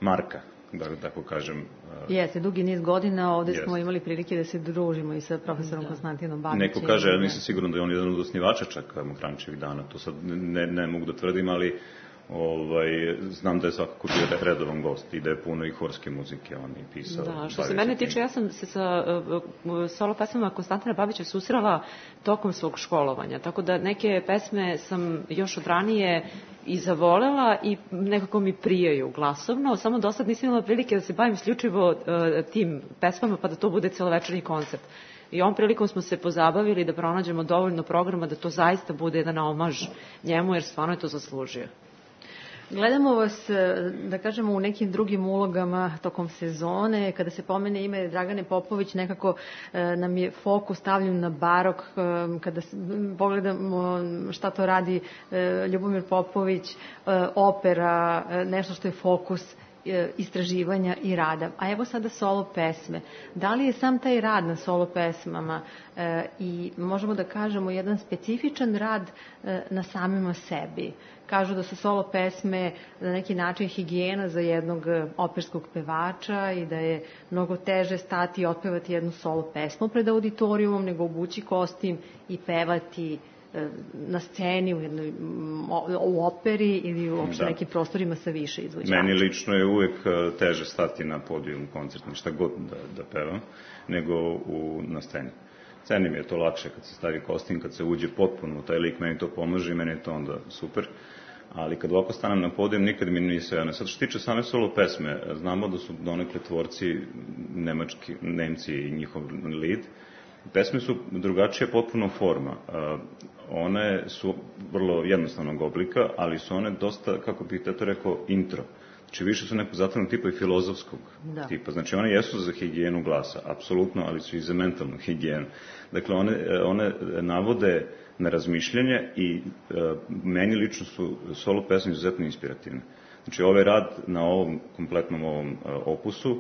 marka, da tako kažem. Jeste, dugi niz godina ovde Jeste. Smo imali prilike da se družimo i sa profesorom da. Konstantinom Babićem. Neko kaže, ja nisam siguran da je on jedan od osnivača čak Mokranjčevih dana, to sad ne, ne mogu da tvrdim, ali Ovaj, znam da je svakako bio redovan gost i da je puno i horske muzike on i pisao. Da, što se mene tiče, ja sam se sa uh, solo pesmama Konstantina Babića susrela tokom svog školovanja, tako da neke pesme sam još od ranije i zavolela i nekako mi prijaju glasovno, samo do sad nisam imala prilike da se bavim isključivo uh, tim pesmama pa da to bude celovečernji koncert. I ovom prilikom smo se pozabavili da pronađemo dovoljno programa da to zaista bude jedan omaž njemu, jer stvarno je to zaslužio. Gledamo vas, da kažemo, u nekim drugim ulogama tokom sezone. Kada se pomene ime Dragane Popović, nekako nam je fokus stavljen na barok. Kada pogledamo šta to radi Ljubomir Popović, opera, nešto što je fokus istraživanja i rada. A evo sada solo pesme. Da li je sam taj rad na solo pesmama e, i možemo da kažemo jedan specifičan rad e, na samima sebi? Kažu da su solo pesme na neki način higijena za jednog operskog pevača i da je mnogo teže stati i otpevati jednu solo pesmu pred auditorijumom nego obući kostim i pevati na sceni, u, jednoj, u operi ili uopšte da. Nekim prostorima sa više izvođača. Meni lično je uvek teže stati na podijum koncertni, šta god da, da pevam, nego u, na sceni. Sceni mi je to lakše kad se stavi kostim, kad se uđe potpuno u taj lik, meni to pomaže i meni je to onda super. Ali kad ovako stanem na podijum, nikad mi nije sve ono. Sad što tiče same solo pesme, znamo da su donekle tvorci nemački, Nemci i njihov lead. Pesme su drugačija potpuno forma. One su vrlo jednostavnog oblika, ali su one dosta, kako bih to rekao, intro. Znači više su nekog zatvornog tipa i filozofskog da. Tipa. Znači one jesu za higijenu glasa, apsolutno, ali su i za mentalnu higijenu. Dakle, one, one navode na razmišljanje i e, meni lično su solo pesme izuzetno inspirativne. Znači ovaj rad na ovom kompletnom ovom e, opusu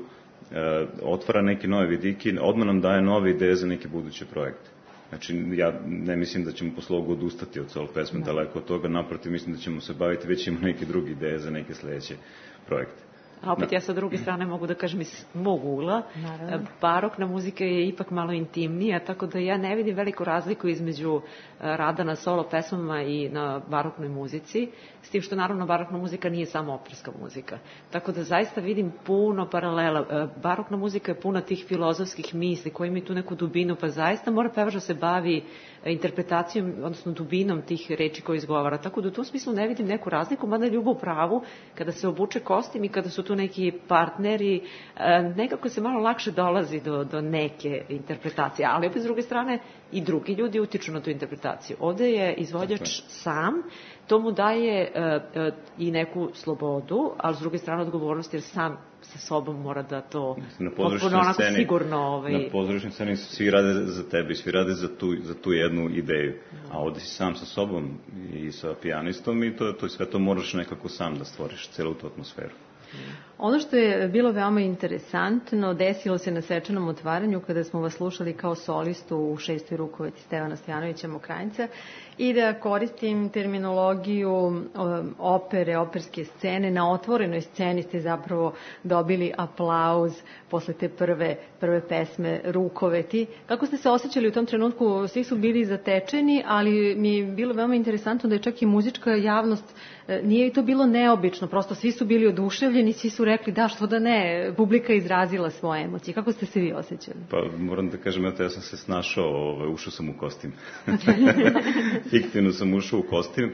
e, otvara neke nove vidike, odmah nam daje nove ideje za neke buduće projekte. Znači, ja ne mislim da ćemo posle ovog odustati od solo pesme, no. Daleko od toga, naprotiv, mislim da ćemo se baviti, već ima neke druge ideje za neke sledeće projekte. A opet ja sa druge strane mogu da kažem iz mog ugla, Naravno. barokna muzika je ipak malo intimnija, tako da ja ne vidim veliku razliku između rada na solo pesmama i na baroknoj muzici, s tim što naravno barokna muzika nije samo operska muzika. Tako da zaista vidim puno paralela. Barokna muzika je puna tih filozofskih misli koji imaju tu neku dubinu, pa zaista mora pevač da se bavi interpretacijom, odnosno dubinom tih reči koje izgovara. Tako da u tom smislu ne vidim neku razliku, mada je Ljubav u pravu, kada se obuče kostim i kada su tu neki partneri, nekako se malo lakše dolazi do, do neke interpretacije, ali opet s druge strane i drugi ljudi utiču na tu interpretaciju. Ovde je izvođač sam, to mu daje uh, uh, i neku slobodu, ali s druge strane odgovornost, jer sam sa sobom mora da to potpuno onako sceni, sigurno... Ovaj... Na pozorišnoj sceni svi rade za tebe, svi rade za tu, za tu jednu ideju, a ovde si sam sa sobom i sa pijanistom i to, to sve to moraš nekako sam da stvoriš, celu tu atmosferu. Ono što je bilo veoma interesantno, desilo se na svečanom otvaranju kada smo vas slušali kao solistu u šestoj rukoveti Stevana Stojanovića Mokranjca, i da koristim terminologiju opere, operske scene. Na otvorenoj sceni ste zapravo dobili aplauz posle te prve, prve pesme Rukoveti. Kako ste se osjećali u tom trenutku? Svi su bili zatečeni, ali mi je bilo veoma interesantno da je čak i muzička javnost, nije i to bilo neobično, prosto svi su bili oduševljeni, svi su rekli da, što da ne, publika izrazila svoje emocije. Kako ste se vi osjećali? Pa moram da kažem, eto, ja sam se snašao, ovaj, ušao sam u kostim. Fiktivno sam ušao u kostim,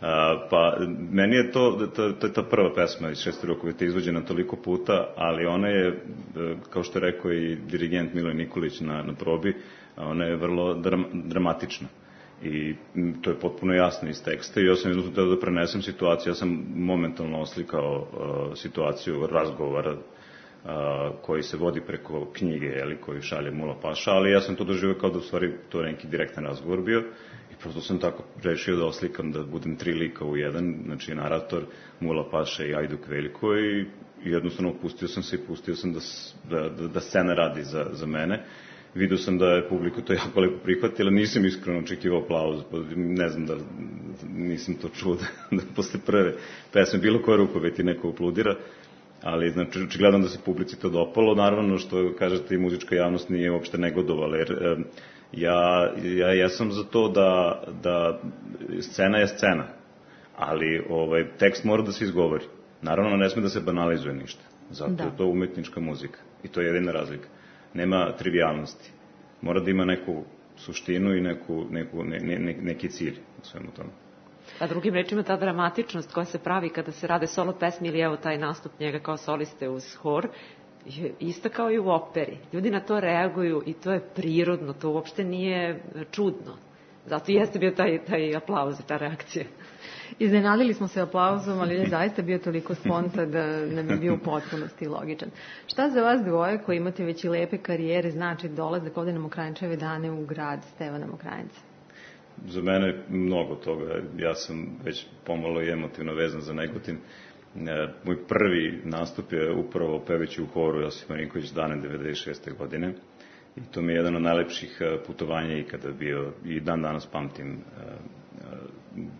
a, pa meni je to, to, to je ta prva pesma iz šeste rukoveti izvođena toliko puta, ali ona je, kao što je rekao i dirigent Miloj Nikolić na, na probi, ona je vrlo dram, dramatična. I to je potpuno jasno iz teksta i ja sam jednostavno teo da prenesem situaciju. Ja sam momentalno oslikao uh, situaciju razgovora uh, koji se vodi preko knjige, jeli, koju šalje Mula Paša, ali ja sam to doživio kao da u stvari to neki direktan razgovor bio i prosto sam tako rešio da oslikam, da budem tri lika u jedan, znači narator, Mula Paša i Ajduk Veljko, i, i jednostavno pustio sam se i pustio sam da, da, da, da scena radi za, za mene. Vidio sam da je publika to jako lepo prihvatila, nisam iskreno očekivao aplauz, ne znam da nisam to čuo da, da posle prve pesme bilo koje rukoveti neko aplaudira, ali znači očigledno da se publici to dopalo. Naravno, što kažete, i muzička javnost nije uopšte negodovala, jer e, ja, ja jesam za to da, da scena je scena, ali ovaj, tekst mora da se izgovori. Naravno, ne sme da se banalizuje ništa, zato da. Je to umetnička muzika i to je jedina razlika. Nema trivialnosti. Mora da ima neku suštinu i neku, neku, ne, ne, neki cilj u svemu tome. A drugim rečima, ta dramatičnost koja se pravi kada se rade solo pesmi ili evo taj nastup njega kao soliste uz hor, je ista kao i u operi. Ljudi na to reaguju i to je prirodno, to uopšte nije čudno. Zato i jeste bio taj, taj aplauz i ta reakcija. Iznenadili smo se aplauzom, ali je zaista bio toliko spontan da nam je bio u potpunosti logičan. Šta za vas dvoje koji imate već i lepe karijere znači dolazak ovde na Mokranjčeve dane u grad Stevana Mokranjca? Za mene mnogo toga. Ja sam već pomalo i emotivno vezan za Negotin. Moj prvi nastup je upravo pevajući u horu Josip Marinković dane devedeset šeste godine. I to mi je jedan od najlepših putovanja ikada bio i dan danas pamtim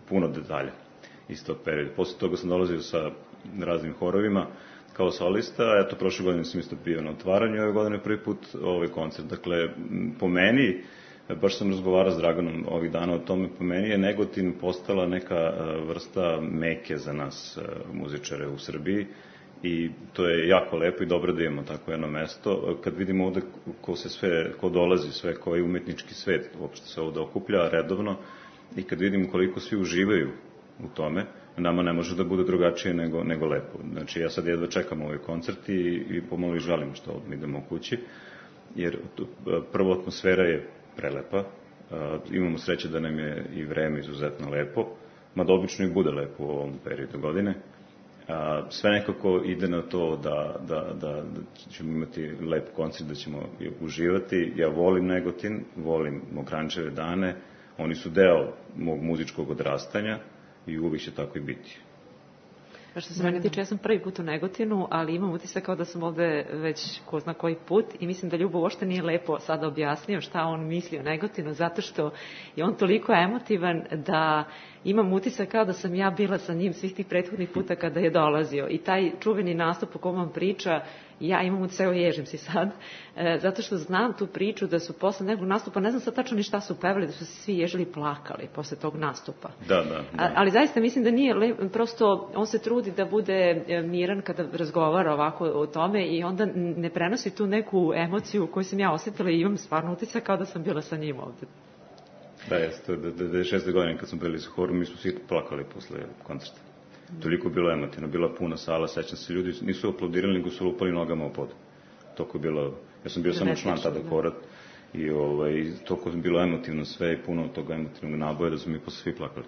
puno detalja iz tog perioda. Posle toga sam dolazio sa raznim horovima kao solista, eto, prošle godine sam isto bio na otvaranju, ove godine prvi put ovaj koncert. Dakle, po meni, baš sam razgovarao s Draganom ovih dana o tome, po meni je Negotin postala neka vrsta meke za nas muzičare u Srbiji i to je jako lepo i dobro da imamo tako jedno mesto. Kad vidimo ovde ko se sve, ko dolazi, sve koji umetnički svet uopšte se ovde okuplja redovno, i kad vidimo koliko svi uživaju u tome, nama ne može da bude drugačije nego, nego lepo. Znači, ja sad jedva čekam ovaj koncert i, i pomalo i žalim što mi idemo u kući, jer prvo atmosfera je prelepa, imamo sreće da nam je i vreme izuzetno lepo, mada obično i bude lepo u ovom periodu godine. Sve nekako ide na to da, da, da, da ćemo imati lep koncert, da ćemo uživati. Ja volim Negotin, volim Mokranjčeve dane, oni su deo mog muzičkog odrastanja i uvijek će tako i biti. Što se mene tiče, ja sam prvi put u Negotinu, ali imam utisak kao da sam ovde već ko zna koji put i mislim da Ljubo uopšte nije lepo sada objasnio šta on misli o Negotinu, zato što je on toliko emotivan da imam utisak kao da sam ja bila sa njim svih tih prethodnih puta kada je dolazio. I taj čuveni nastup o kom on priča, ja imam utisak, evo ježim si sad, e, zato što znam tu priču da su posle nekog nastupa, ne znam sad tačno ni šta su pevali, da su se svi ježili i plakali posle tog nastupa. Da, da, da. A, ali zaista mislim da nije, le, prosto on se trudi da bude miran kada razgovara ovako o tome i onda ne prenosi tu neku emociju koju sam ja osetila i imam stvarno utisak kao da sam bila sa njim ovde. Da, jeste, devedeset šeste godine kad smo bili sa horom, mi smo svi plakali posle koncerta. Toliko bilo emotivno, bila puna sala, sećam se, ljudi nisu aplaudirali, nego su lupali nogama u pod. Toko je bilo, ja sam bio samo član tada hora i ovaj, toko je bilo emotivno sve i puno toga emotivnog naboja da smo mi posle svi plakali.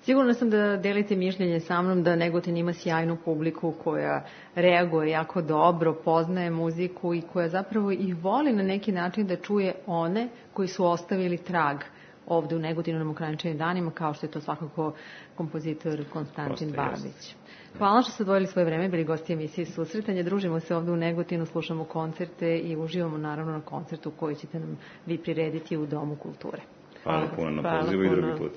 Sigurno sam da delite mišljenje sa mnom da Negotin ima sjajnu publiku koja reaguje jako dobro, poznaje muziku i koja zapravo i voli na neki način da čuje one koji su ostavili trag ovde u Negotinu na Mokranjčevim danima, kao što je to svakako kompozitor Konstantin Babić. Hvala što ste odvojili svoje vreme, bili gosti emisije Susretanje. Družimo se ovde u Negotinu, slušamo koncerte i uživamo naravno na koncertu koji ćete nam vi prirediti u Domu kulture. Hvala puno na pozivu i drugi put.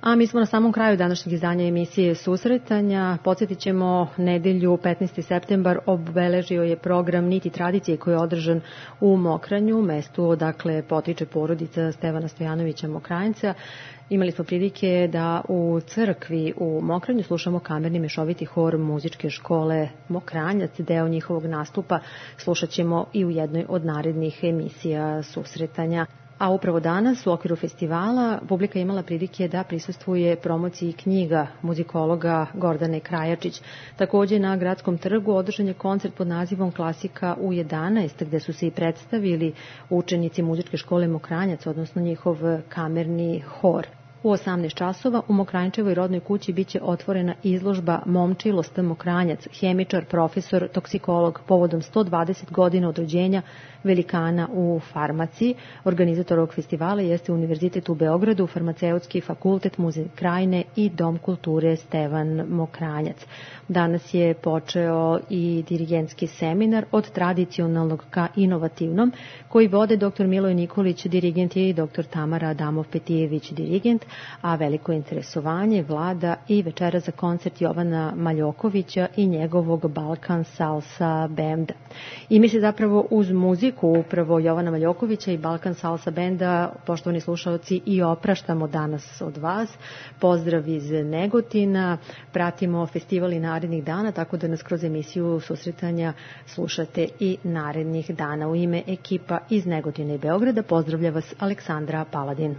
A mi smo na samom kraju današnjeg izdanja emisije Susretanja. Podsjetit ćemo, nedelju petnaesti septembar obeležio je program Niti tradicije koji je održan u Mokranju, mestu odakle potiče porodica Stevana Stojanovića Mokranjca. Imali smo prilike da u crkvi u Mokranju slušamo kamerni mešoviti hor muzičke škole Mokranjac. Deo njihovog nastupa slušat ćemo i u jednoj od narednih emisija Susretanja. A upravo danas u okviru festivala publika imala prilike da prisustvuje promociji knjiga muzikologa Gordane Krajačić. Takođe na Gradskom trgu održan je koncert pod nazivom Klasika u jedanaest, gde su se i predstavili učenici muzičke škole Mokranjac, odnosno njihov kamerni hor. U osamnaest časova u Mokranjčevoj rodnoj kući biće otvorena izložba Momčilo St. Mokranjac, hemičar, profesor, toksikolog, povodom sto dvadeset godina od rođenja velikana u farmaciji. Organizator ovog festivala jeste Univerzitet u Beogradu, Farmaceutski fakultet, Muzej Krajine i Dom kulture Stevan Mokranjac. Danas je počeo i dirigentski seminar od tradicionalnog ka inovativnom, koji vode dr. Miloj Nikolić, dirigent, i dr. Tamara Adamov-Petijević, dirigent, a veliko interesovanje vlada i večera za koncert Jovana Maljokovića i njegovog Balkan Salsa benda. I mi se zapravo uz muziku upravo Jovana Maljokovića i Balkan Salsa benda, poštovani slušalci, i opraštamo danas od vas. Pozdrav iz Negotina, pratimo festival i narednih dana, tako da nas kroz emisiju Susretanja slušate i narednih dana. U ime ekipa iz Negotina i Beograda pozdravlja vas Aleksandra Paladin.